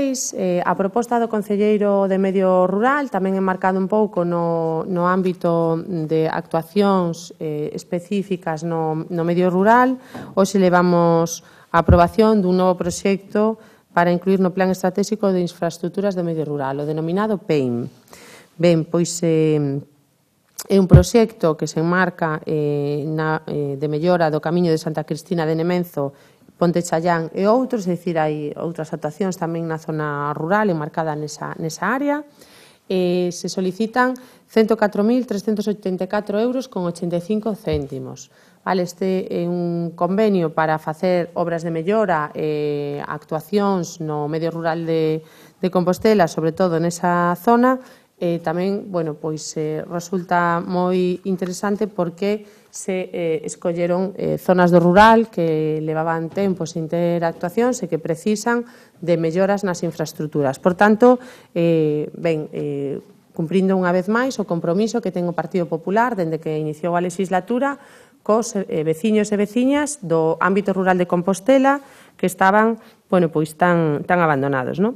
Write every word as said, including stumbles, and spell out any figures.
Eh, a proposta do Concelleiro de Medio Rural tamén enmarcado un pouco no, no ámbito de actuacións eh, específicas no, no medio rural. Hoxe levamos a aprobación dun novo proxecto para incluir no Plan Estratégico de Infraestructuras do Medio Rural, o denominado P E I M. Ben, pois eh, é un proxecto que se enmarca eh, na, eh, de mellora do Camiño de Santa Cristina de Nemenzo, Ponte Challán e outros, é dicir, hai outras actuacións tamén na zona rural enmarcada nesa, nesa área. Eh, se solicitan ciento catro mil trescentos oitenta e catro euros con ochenta e cinco céntimos. Vale, este é un convenio para facer obras de mellora e eh, actuacións no medio rural de, de Compostela, sobre todo nesa zona. Eh, tamén, bueno, pois eh, resulta moi interesante porque se eh, escolleron eh, zonas do rural que levaban tempo sin ter actuacións e que precisan de melloras nas infraestructuras. Por tanto, eh, ben, eh, cumprindo unha vez máis o compromiso que ten o Partido Popular dende que iniciou a legislatura cos eh, veciños e veciñas do ámbito rural de Compostela que estaban, bueno, pois tan, tan abandonados, non?